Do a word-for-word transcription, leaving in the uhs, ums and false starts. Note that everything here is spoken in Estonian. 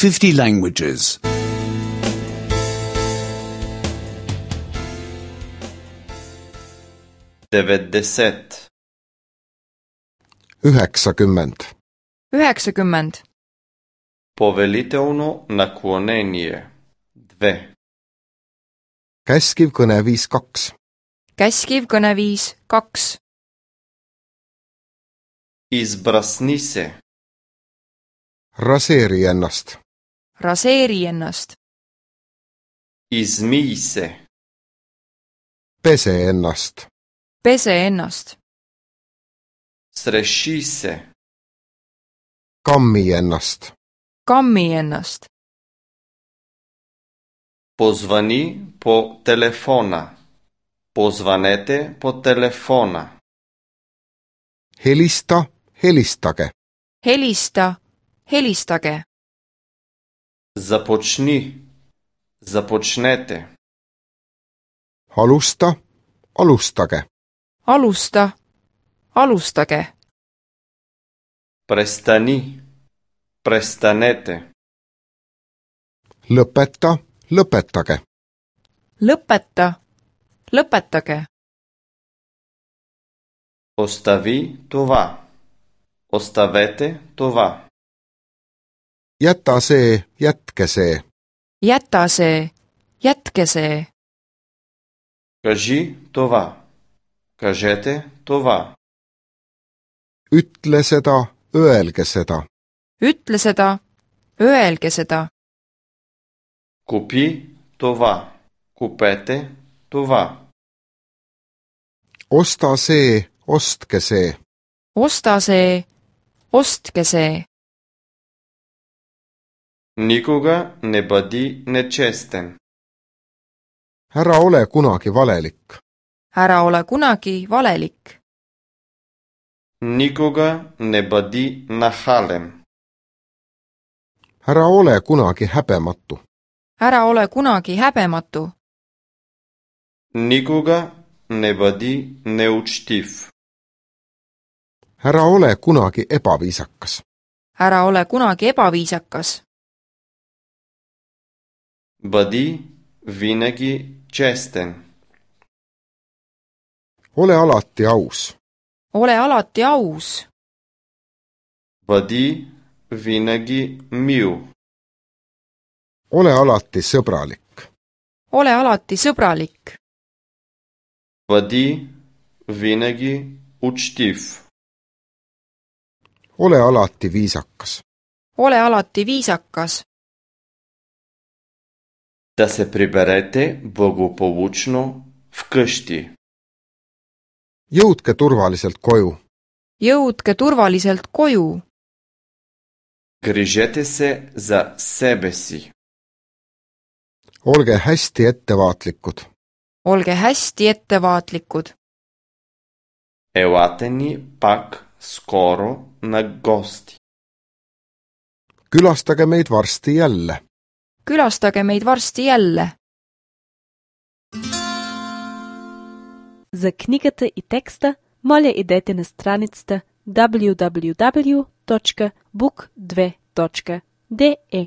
fifty languages. devetdeset. üheksakümmend. üheksakümmend. Повелително наклонение. Две. Käskiv kõneviis kaks. Käskiv kõneviis kaks. Избрасни се. Raseeri ennast. Raseeri ennast. Измий се. Pese ennast. Pese ennast. Среши се. Kammi ennast. Kammi ennast. Позвани по телефона. Позванете по телефона. Helista, helistage. Helista, helistage. Започни. Започнете. Alusta, alustage. Alusta, alustage. Престани. Престанете. Lõpeta, lõpetage. Lõpeta, lõpetage. Остави това. Оставете това. Jäta see, jätke see. Jäta see, jätke see. Кажи това. Кажете това. Ütle seda, öelge seda. Ütle seda, öelge seda. Купи това. Купете това. Osta see, ostke see. Osta see, ostke see. Никога не бъди нечестен. Ära ole kunagi valelik. Ära ole kunagi valelik. Никога не бъди нахален. Ära ole kunagi häbematu. Ära ole kunagi häbematu. Никога не бъди неучтив. Ära ole kunagi ebaviisakas. Ära ole kunagi ebaviisakas. Бъди винаги честен. Ole alati aus. Ole alati aus. Бъди винаги мил. Ole alati sõbralik. Ole alati sõbralik. Бъди винаги учтив. Ole alati viisakas. Ole alati viisakas. Да се приберете благополучно вкъщи. Jõudke turvaliselt koju. Jõudke turvaliselt koju. Грижете се за себе си. Olge hästi ettevaatlikud. Olge hästi ettevaatlikud. Елате ни пак скоро на гости. Külastage meid varsti jälle. Külastage meid varsti jälle. За книгата и текста, моля идете на страницата даблю даблю даблю точка бук две точка де е.